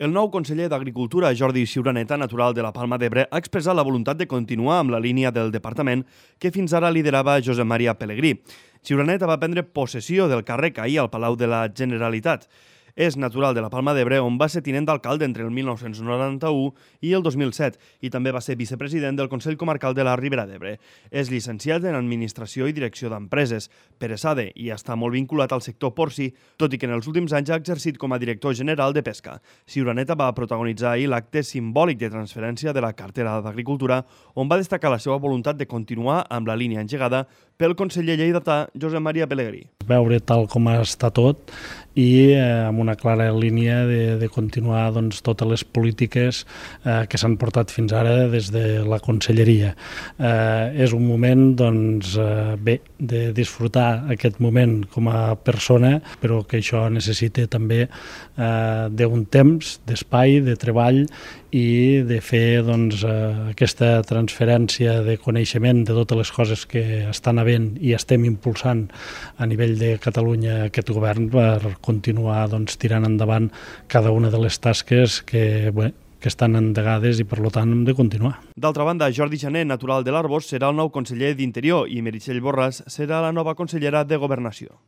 El nou conseller d'Agricultura, Jordi Ciuraneta, natural de la Palma d'Ebre, ha expressat la voluntat de continuar amb la línia del departament que fins ara liderava Josep Maria Pelegrí. Ciuraneta va prendre possessió del càrrec ahir al Palau de la Generalitat. És natural de la Palma d'Ebre, on va ser tinent d'alcalde entre el 1991 i el 2007 i també va ser vicepresident del Consell Comarcal de la Ribera d'Ebre. És llicenciat en Administració i Direcció d'Empreses, per ESADE, i està molt vinculat al sector porcí, tot i que en els últims anys ha exercit com a director general de Pesca. Ciuraneta va protagonitzar ahir l'acte simbòlic de transferència de la cartera d'Agricultura, on va destacar la seva voluntat de continuar amb la línia engegada pel conseller lleidatà Josep Maria Pelegrí. Veure tal com està tot i amb una clara línia de continuar totes les polítiques que s'han portat fins ara des de la conselleria. És un moment de disfrutar aquest moment com a persona, però que això necessita també d'un temps, d'espai, de treball i de fer aquesta transferència de coneixement de totes les coses que estan havent i estem impulsant a nivell de Catalunya aquest govern per continuar tirant endavant cada una de les tasques que estan endegades i, per tant, hem de continuar. D'altra banda, Jordi Jané, natural de l'Arboç, serà el nou conseller d'Interior i Meritxell Borràs serà la nova consellera de Governació.